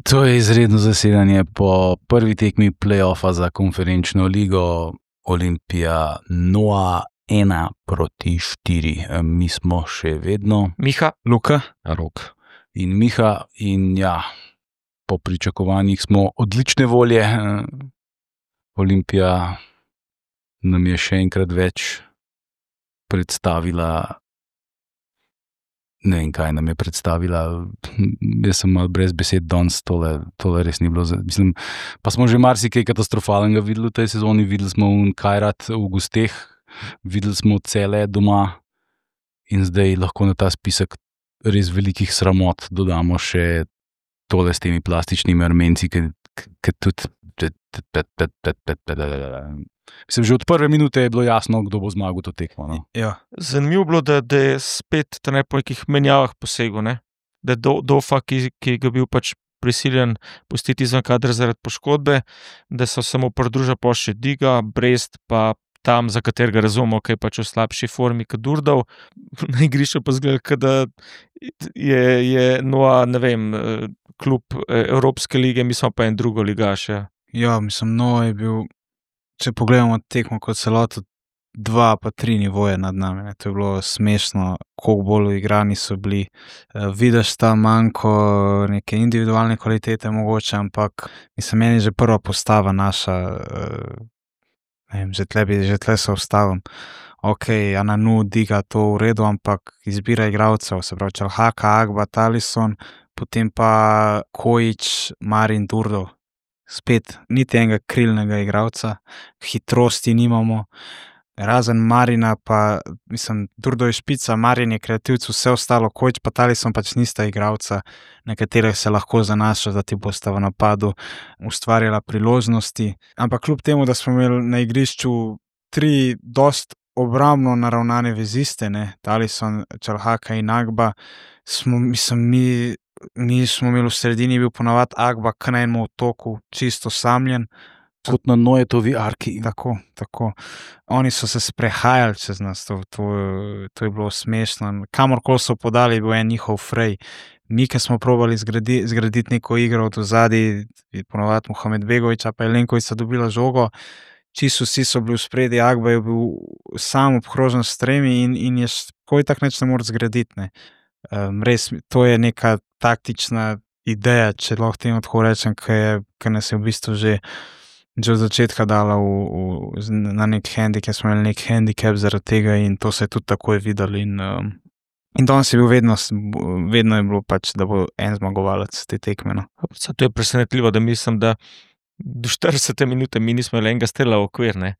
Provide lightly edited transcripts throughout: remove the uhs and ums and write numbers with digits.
To je izredno zasedanje po prvi tekmi play-offa za konferenčno ligo Olimpija 1-4. Mi smo še vedno Miha, Luka, Rok. in Miha in po pričakovanjih smo odlične volje. Olimpija nam je še enkrat več predstavila. Ne vem, kaj nam je predstavila. Jaz sem malo brez besed danes, tole res ni bilo. Mislim, pa smo že marsikaj katastrofalnega videli v tej sezoni. Videli smo Kajrat v gosteh, videli smo Cele doma in zdaj lahko na ta spisek res velikih sramot dodamo še tole s temi plastičnimi Armenci, ki tudi... Mislim, že od prve minute je bilo jasno, kdo bo zmagal to tekmo. No? ja. Zanimivo bilo, da je spet po nekih menjavah posegel, ne? Da je Dofa, ki je bil pač prisiljen pustiti izven kadra zaradi poškodbe, da so se mu pridružili pa še Diga, Brest, pa tam, za katerega razumemo, ki je pač v slabši formi kot Durdov. Na igrišču pa zgleda, da je Noa, ne vem, klub Evropske lige, mi smo pa en drugo ligaš. Ja, mislim, Noa je bil, če pogledamo tekmo kot celoto, 2 pa 3 nivoje nad nami. Ne. To je bilo smešno, koliko bolj uigrani so bili. Vidiš ta manjko neke individualne kvalitete mogoče, ampak mislim, meni že prva postava naša, ne vem, že tle se ustavim. Ok, Ananu, Diga, to v redu, ampak izbira igralcev, se pravi Čalhaka, Agba, Talison, potem pa Kojić, Marin, Durdov. Spet niti enega krilnega igralca, hitrosti nimamo, razen Marina, pa mislim, Durdov je špica, Marin je kreativc, vse ostalo, Kojić pa Talison pač nista igralca, na katerih se lahko zanaša, da ti bosta v napadu ustvarjala priložnosti. Ampak kljub temu, da smo imeli na igrišču 3 dost obrambno naravnane veziste, ne, Talison, Čalhaka in Agba, mi smo imeli v sredini, bil ponavadi Agba k na enem otoku, čisto samljen. Kot na Noetovi arki. Tako. Oni so se sprehajali čez nas, to je bilo smešno. Kamorkoli so podali, je bil en njihov frej. Mi, ki smo probali zgraditi neko igro od ozadij, ponavadi Mohamed Begovića, pa Jelenkovića dobila žogo, čisto vsi so bili v spredi, Agba je bil sam obkrožen s tremi in je tako tak neč ne more zgraditi. Ne. Res, to je neka taktična ideja, če lahko temu tako rečem, ki nas je v bistvu že od začetka dala na nek handicap, smo imeli nek handicap zaradi tega in to se je tudi takoj videli. In danes je bil vedno je bilo pač, da bo en zmagovalec te tekme. No. To je presenetljivo, da mislim, da do 40 minute mi nismo imeli enega strela v okvir, ne.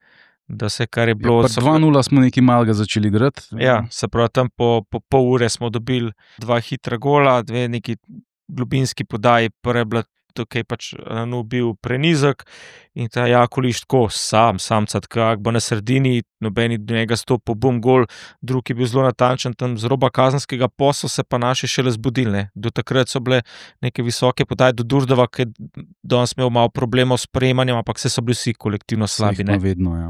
Da se kar je bilo... 2-0 smo nekaj malega začeli igrati. Ja, se pravi, tam po pol ure smo dobili 2 hitra gola, 2 neki globinski podaji, prva je bila tukaj pač bil prenizek in ta Jakoliš tako samcat, Agba na sredini, nobeni do njega stopil, bum, gol, drug je bil zelo natančen, tam z roba kazenskega posla se pa naši šele zbudili, ne. Do takrat so bile neke visoke podaje do Durdova, ki je danes imel malo problemov s sprejemanjem, ampak se so bili vsi kolektivno slabi, ne. Vedno, ja.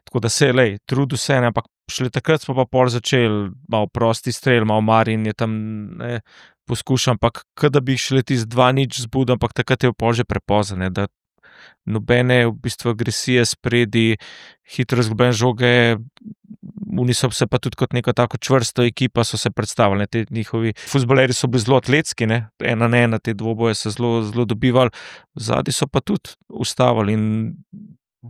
Tako da se, trudil se, ne, ampak šele takrat smo pa pol začeli, malo prosti strel, malo Marin je tam, ne, poskušal, ampak da bi šele tisti 2-0 zbudil, ampak takrat je pol že prepozno, ne, da nobene v bistvu agresije spredi, hitro izgubljene žoge, oni so se pa tudi kot neka tako čvrsto ekipa so se predstavili, ne, te njihovi fuzbaleri so bili zelo atletski, ne, 1-1, te dvoboje so zelo dobivali, zadnji so pa tudi ustavili in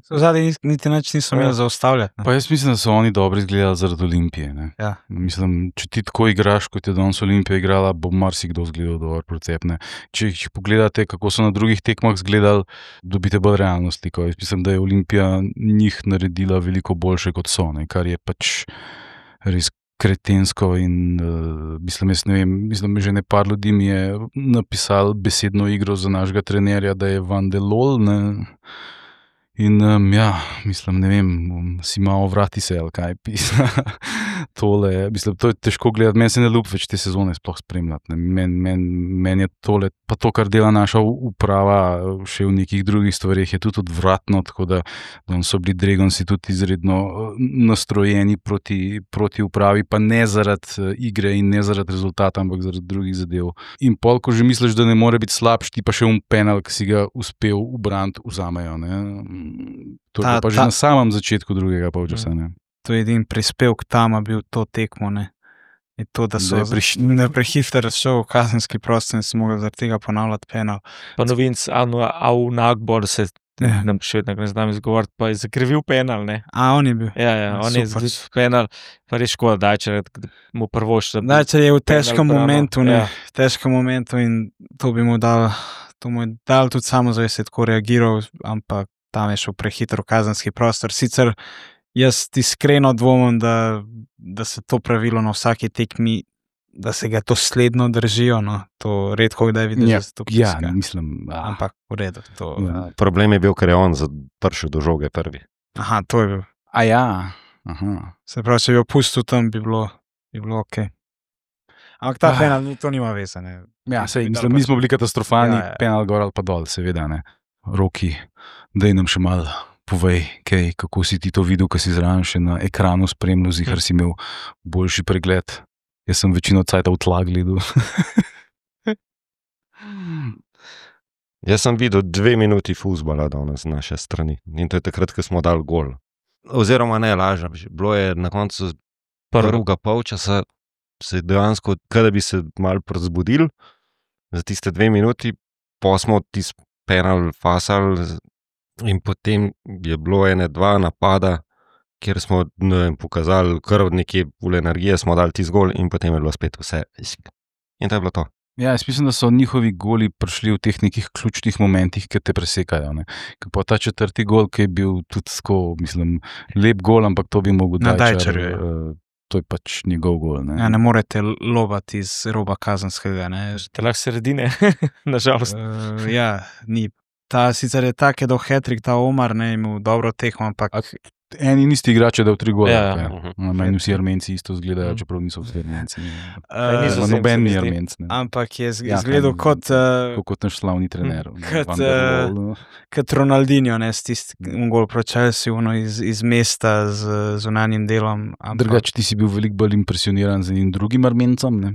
Zadnji niti nič niso imeli zaustavljati. Pa jaz mislim, da so oni dobro izgledali zaradi Olimpije. Ne? Ja. Mislim, če ti tako igraš, kot je danes Olimpija igrala, bo marsikdo zgledal dobro procep. Če pogledate, kako so na drugih tekmah izgledali, dobite bolj realno sliko. Jaz mislim, da je Olimpija njih naredila veliko boljše kot so, ne? Kar je pač res kretensko in mislim, že par ljudi mi je napisal besedno igro za našega trenerja, da je Van de Lol, ne? In mislim, ne vem, si malo vrati se, ali kaj pisa. tole, mislim, to je težko gledati, meni se ne ljubi več te sezone sploh spremljati. Meni je tole, pa to, kar dela naša uprava še v nekih drugih stvarih, je tudi odvratno, tako da so bili Dragonsi tudi izredno nastrojeni proti upravi, pa ne zaradi igre in ne zaradi rezultata, ampak zaradi drugih zadev. In pol, ko že misliš, da ne more biti slabš, ti pa še penal, ki si ga uspel ubraniti, vzamejo. Ne? To je pa že na samem začetku drugega polčasa. To je edin prispevek Tama bil to tekmo, ne. Je to, da so prehiter šel v kazenski prostor in se mogel zaradi tega ponavljati penal. Pa novinc Au Nagbor se nam še vedno ne znam izgovoriti, pa je zakrivil penal, ne. On je bil. Ja, on je zakrivil penal, pa res škoda Dajčer, mu prvošta. Dajčer je v težkem momentu, ne. V težkem momentu in to bi mu dal tudi samozavest, tako reagiral, ampak tam je šel prehitro v kazenski prostor. Sicer jaz iskreno dvomim, da se to pravilo na vsaki tekmi, da se ga to sledno držijo. No. To redko kdaj vidiš, da se to piska. Ja, mislim. Ampak v redu. Problem je bil, ker je on prišel do žoge prvi. Aha, to je bil. Se pravi, če bi jo pustil tam, bi bilo okej. Ampak ta penal, to nima veze. Ne. Ja, mislim, mi smo bili katastrofalni, penal gor ali pa dol, seveda, ne. Roki, daj nam še malo povej, kako si ti to videl, ko si zraven še na ekranu spremljal, zihar si imel boljši pregled. Jaz sem večino cajta v tla gledal. Jaz sem videl 2 minuti fuzbala danes z naše strani in to je takrat, ko smo dali gol. Oziroma ne, lažem, bilo je na koncu prvega polčasa se dejansko, kada bi se malo prezbudili za tiste 2 minuti, pa smo tisti penal fasali in potem je bilo 1-2 napada, kjer smo pokazali kar nekje v energije, smo dali tisti gol in potem je bilo spet vse. In to je bilo to. Ja, jaz mislim, da so njihovi goli prišli v teh nekih ključnih momentih, ki te presekajo. Ne? Pa ta 4. gol, ki je bil tudi tako, mislim, lep gol, ampak to bi mogel Dajčer. To je pač njegov gol. Ne, ne morete lobati iz roba kazenskega. Te lahko sredine, nažalost. Ja, ni. Ta sicer je tak, je do hat-trick, ta Omar, ne, imel dobro tekmo, ampak... Eni nisti igrači, da v 3 gole. Meni vsi Armenci isto zgledajo, čeprav niso vsi Armenci. Noben ni Armenc. Ampak je zgledal kot naš slavni trener. Kot Ronaldinho, ne, s tistim gol proti Chelsea, iz mesta z zunanjim delom. Drugače, ti si bil veliko bolj impresioniran z enim drugim Armencem, ne?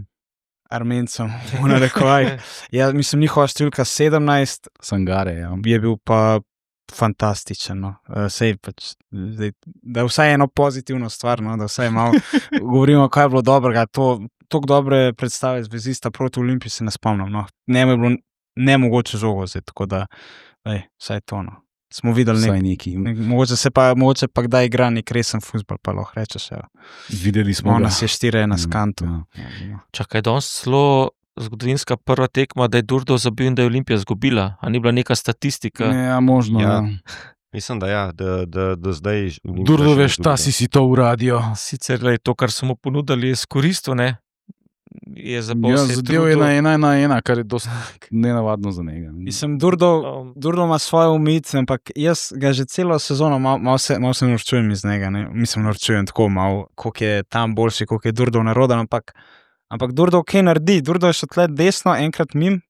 Armencem, narekovaj. Ja, mislim, njihova številka 17 Sangare, ja. Je bil pa fantastičen. No. Sej pač, da vsaj eno pozitivno stvar, no, da vsaj malo govorimo, kaj je bilo dobrega. Toliko dobre predstave zvezista proti Olimpiji se ne spomnim. No. Ne je bilo nemogoče žogo zdaj, tako da vsaj to. No. Smo videli nekaj. Mogoče pa kdaj igra nek resen fuzbol, pa lahko rečeš. Videli smo ga. Nas je 4-1 s kantu. Čakaj, danes celo zgodovinska prva tekma, da je Durdo zabil in da je Olimpija zgubila. A ni bila neka statistika? Ja, možno. Ja. Mislim, da ja, da zdaj... Durdo, veš, ta si to uradijo. Sicer, to, kar so mu ponudili, je skoristil, ne? Zadev je na 1-1, kar je dosti nenavadno za njega. Mislim, Durdo ima svoje omejitve, ampak jaz ga že celo sezono malo se norčujem iz njega. Ne? Mislim, norčujem tako malo, koliko je tam boljši, koliko je Durdo naroden, ampak Durdo kaj naredi? Durdo je šel tle desno, enkrat mim,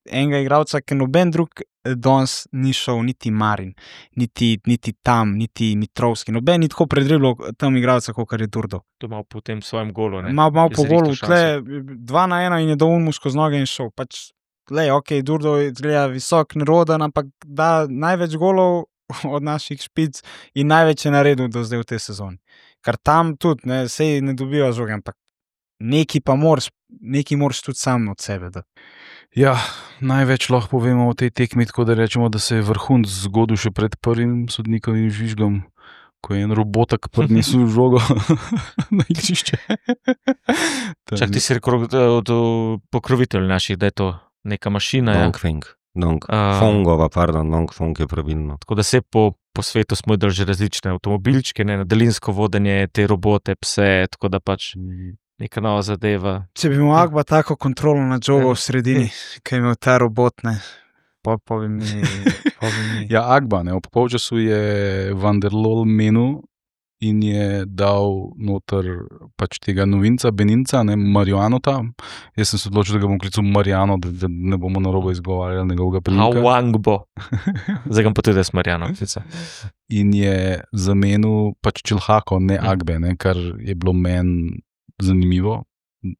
enega igralca, ki noben drug danes ni šel, niti Marin, niti tam, niti Mitrovski. Noben ni tako predribljal tam igralca, kot je Durdo. To malo po tem svojem golu. Malo po golu, tle 2-1 in je dal mu skozi noge in šel. Pač, Durdo je visok, neroden, ampak da največ golov od naših špic in največ je naredil do zdaj v tej sezoni. Kar tam tudi, sej ne dobiva žoge, ampak nekaj moraš tudi sam od sebe. Da. Ja, največ lahko povemo o tej tekmi, tako da rečemo, da se je vrhunec zgodil še pred prvim sodnikovim žvižgom, ko je en robotak prinesel žogo na igrišče. Čak, ti si rekel od pokrovitelj naših, da je to neka mašina. Dongfeng je pravilno. Tako da se po svetu smo videli že različne avtomobilčke, na daljinsko vodenje, te robote, pse, tako da pač neka nova zadeva. Če bi imel Agba tako kontrolo nad žogo v sredini, kaj imel ta robot, ne, povi mi. Ja, Agba, ne, ob polčasu je Van der Lol menil in je dal noter pač tega novinca, Beninca, ne, Marianota. Jaz sem se odločil, da ga bom klical Mariano, da ne bomo narobe izgovarjali njegovega priimka. Awangbo. Zdaj ga pa tudi jaz Marjano. In je zamenil pač Čilhako, ne Agbe, ne, kar je bilo meni zanimivo,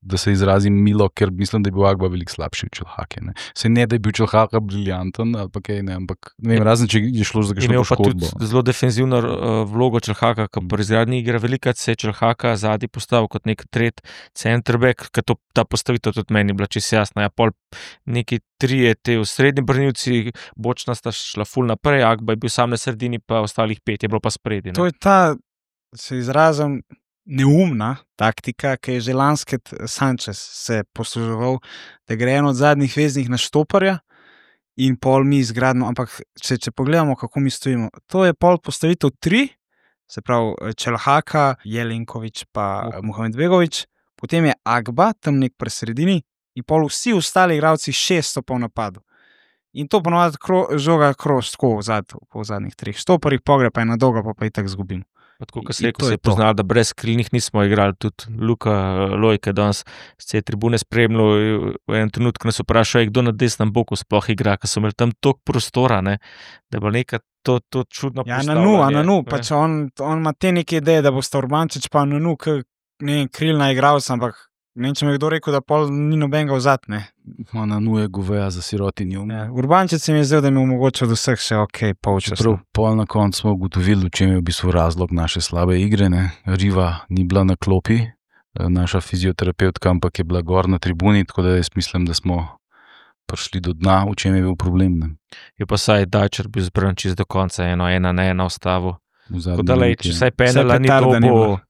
da se izrazim milo, ker mislim, da je bil Agba veliko slabši od Čilhake. Sej ne, da je bil Čilhaka briljanten ali pa kaj, ne, ampak ne vem, razen če je šlo za kakšno Imel pa poškodbo. tudi zelo defenzivno vlogo Čilhaka, ki pri izgradnji igre velikrat se je Čilhaka zadnji postavil kot nek tret centerback, ker ta postavitev tudi meni bila čisto jasna. Ja, pol neki trije te v srednji branilci, bočna sta šla ful naprej, Agba je bil sam na sredini, pa ostalih 5 je bilo pa spredi. To je ta, se izrazim, neumna taktika, ki je že Lansket Sanchez se posluževal, da gre en od zadnjih veznih na štoparja in pol mi izgradimo, ampak če pogledamo, kako mi stojimo, to je pol postavitev 3, se pravi Čelhaka, Jelenković pa Muhamedbegović, potem je Agba tam nek pri sredini in pol vsi ostali igralci 6 po napadu. In to ponovadi žoga kroz tako po zadnjih 3 štoparjih, pogre pa je na dolga, pa itak zgubimo. Tako, kot se je poznalo, da brez krilnih nismo igrali, tudi Luka Lojke danes z te tribune spremljal, v enem trenutku nas vprašal, kdo na desnem boku sploh igra, ker so imeli tam toliko prostora, ne, da je bilo neka to čudno postavljanje. Ja, na nu, pač on ima te neke ideje, da bo sta Urbančič pa na nu, ne vem, krilna igralca, ampak ne vem, če mi je kdo rekel, da pol ni nobenega vzad, ne. Na nu je goveja za sirotinjo. Ja, Urbančič se mi je zdel, da mi je omogočil od vseh še polčas. Prav pol na koncu smo ugotovili, v čem je v bistvu razlog naše slabe igre, ne. Riva ni bila na klopi, naša fizioterapeutka, ampak je bila gor na tribuni, tako da jaz mislim, da smo prišli do dna, v čem je bil problem, ne. Je pa saj Dajčer bil zbran čist do konca, 1-1 ostavo. Tako da če saj penala ni dobo,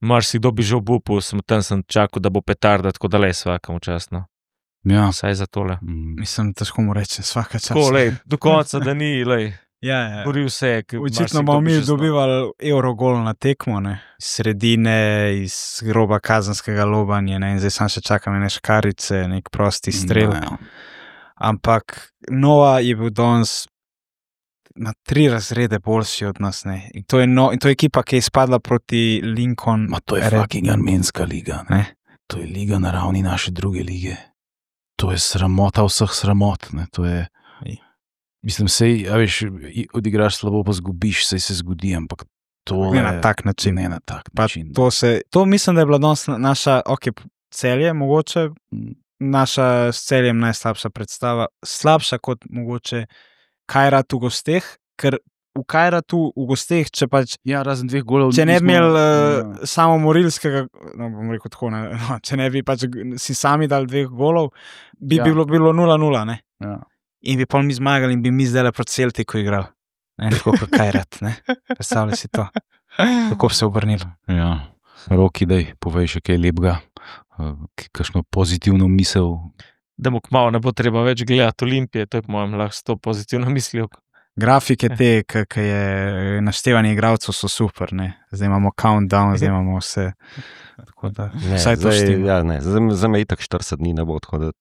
marsikdo bi že obupal, tam sem čakal, da bo petarda, tako da lej svakam včasno. Ja. Saj za tole. Mislim, težko mu reči, svaka čas. Tako, lej, do konca, da ni, lej. Ja. Boril se je. Očitno bomo mi dobivali Eurogol na tekmo, ne. Iz sredine, iz groba kazenskega lobanja, ne. In zdaj sam še čakam ene škarice, nek prosti strel. No. Ampak Nova je bil danes na 3 razrede boljši od nas, ne. In to je ekipa, ki je izpadla proti Lincoln. Ma to je fucking armenska liga, ne. To je liga na ravni naše druge lige. To je sramota vseh sramot, ne. To je, mislim, sej, a veš, odigraš slabo, pa zgubiš, sej se zgodi, ampak to ne na tak način. Ne na tak Pa način. to mislim, da je bila danes naša, Celje, mogoče, naša s Celjem najslabša predstava, slabša kot mogoče Kajrat v gosteh, ker v Kajratu v gosteh, če pač Ja, razen 2 golov. če ne bi imeli samo morilskega, no, bom rekel tako, ne, no, če ne bi pač si sami dali 2 golov, bi bilo 0-0, ne. Ja. In bi pol mi zmagali in bi mi zdaj proti Celtiku igrali. Ne, tako kot Kajrat, ne. Predstavljaj si to. Kako bi se obrnilo. Ja. Roki, daj, povej še kaj lepega, kakšno pozitivno misel. Da mu kmalu ne bo treba več gledati Olimpije, to je po mojem lahko s to pozitivno mislijo. Grafike te, ki je naštevanje igralcev, so super, ne. Zdaj imamo countdown, zdaj imamo vse. Tako da, vsaj to štima. Ja, ne, za me itak 40 dni ne bo, tako da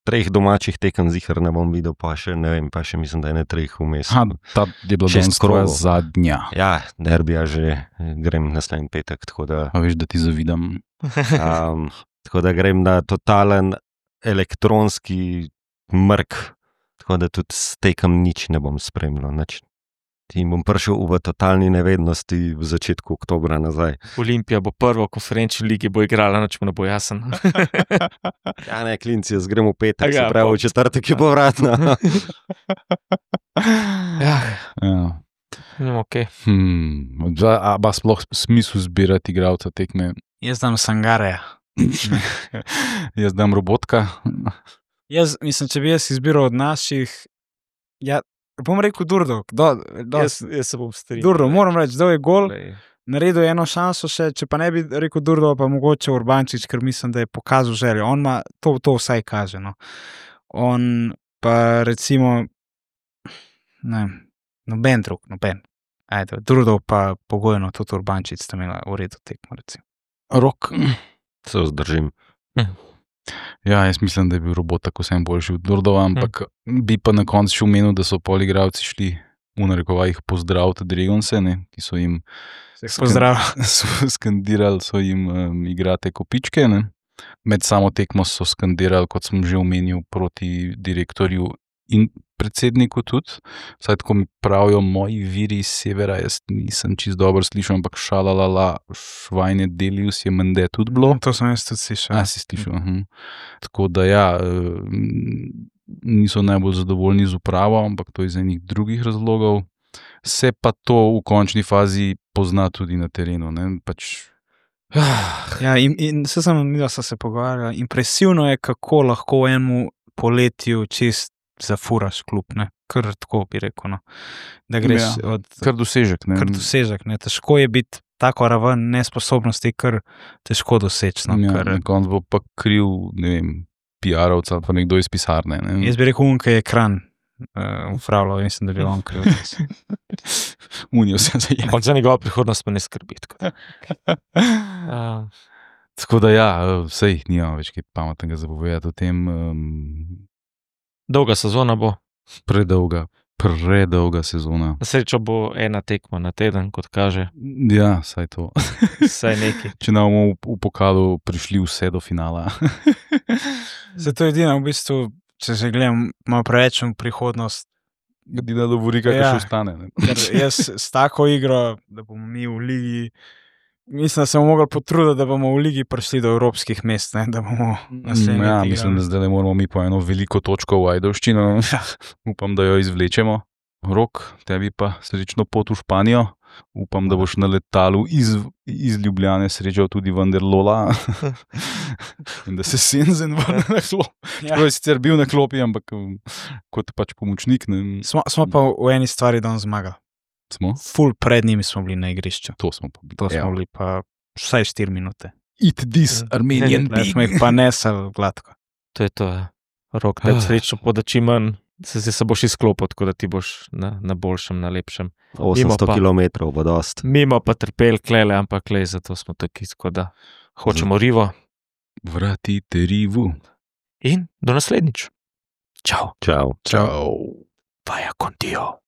3 domačih tekem zihar ne bom videl, pa še ne vem, pa še mislim, da je ne 3 vmes. Ta je bila 6 danes tvoja krogov. zadnja. Ja, derbija že grem naslednji petek, tako da, A veš, da ti zavidam. tako da grem na totalen elektronski mrk, tako da tudi s tekem nič ne bom spremljal, nič. In bom prišel v totalni nevednosti v začetku oktobra nazaj. Olimpija bo prvo v konferenčni ligi bo igrala, noč mu ne bo jasen. Ja, ne, klinci, jaz grem v petek, Ja, se pravi, v četrtek je povratna. Ja, Okay. A pa sploh smisel zbirati igralca tekme? Jaz dam Sangareja. Jaz dam Robotka. Jaz mislim, če bi jaz izbiral od naših, ja, bom rekel Durdo. jaz se bom strinjal. Durdo, moram reči, dal je gol, Lej. naredil eno šanso še, če pa ne bi rekel Durdo, pa mogoče Urbančič, ker mislim, da je pokazal željo. On ima, to vsaj kaže, no. On pa recimo, ne, noben drug. Ajde, Durdo pa pogojno, tudi Urbančič sta imela v redu tekmo, recimo. Rok. Se vzdržim. Ja, jaz mislim, da je bil Robot tako vsem boljši od Durdova, ampak bi pa na koncu še omenil, da so pol igralci šli v narekovajih pozdraviti Dragonse, ne, ki so jim Pozdrav. skandirali, so jim igrate kopičke. Ne. Med samo tekmo so skandirali, kot sem že omenil, proti direktorju in predsedniku tudi. Vsaj tako mi pravijo moji viri iz severa, jaz nisem čisto dobro slišal, ampak šalalala, švajne delius je mende tudi bilo. To sem jaz tudi slišal. Si slišal. Tako da ja, niso najbolj zadovoljni z upravo, ampak to iz enih drugih razlogov. Se pa to v končni fazi pozna tudi na terenu. Ne? Pač, Ja, in vse sem mi, da so se pogovarjali. Impresivno je, kako lahko v enem poletju čist zafuraš klub, ne. Kar tako bi rekel, no. Da greš od kar dosežek. Ne? kar dosežek, ne. Težko je biti tako raven nesposobnosti, kar težko doseči, no. Ja, Ker, na koncu bo pa kriv, ne vem, PR-ovca ali pa nekdo iz pisarne. Ne? jaz bi rekel, ki je ekran upravljal, mislim, da bi on kriv. Unijo se zajem. On za njegovo prihodnost pa ne skrbi. Tako da ja, sej nima več kaj pametnega zapovedati o tem. Dolga sezona bo. Predolga sezona. Na srečo bo ena tekma na teden, kot kaže. Ja, saj to. Vsaj nekaj. Če ne bomo v pokalu prišli vse do finala. Zato je edino v bistvu, če se gledam malo preveč v prihodnost, Edina dovorika, ki Ja. še ostane. Ne? ker jaz s tako igro, da bomo mi v ligi, mislim, da se bomo mogli potruditi, da bomo v ligi prišli do evropskih mest, ne, da bomo naslednji Ja, let mislim, da igrali. zdaj moramo mi po eno veliko točko v Ajdovščino. Upam, da jo izvlečemo. Rok, tebi pa srečno pot v Španijo. Upam, da boš na letalu iz Ljubljane srečal tudi Vanderlola. In da se Senzen vrne na klop. Ja. Čeprav je sicer bil na klopi, ampak kot pač pomočnik. Ne, Smo pa v eni stvari danes zmagali. smo? Ful pred njimi smo bili na igrišču. To smo pa bili. To smo bili pa vsaj 4 minute. Eat this Armenian Ne, smo jih pa nesali gladko. To je to. Ja. Rok, da srečno poda čim manj, se boš izklopil, tako da ti boš na boljšem, na lepšem. 800 pa- km bo dost. Mimo pa trpel klele, ampak le, zato smo taki, tako da hočemo rivo. Vratite rivu. In do naslednjič. Čau. Čau. Čau. Vaya contigo.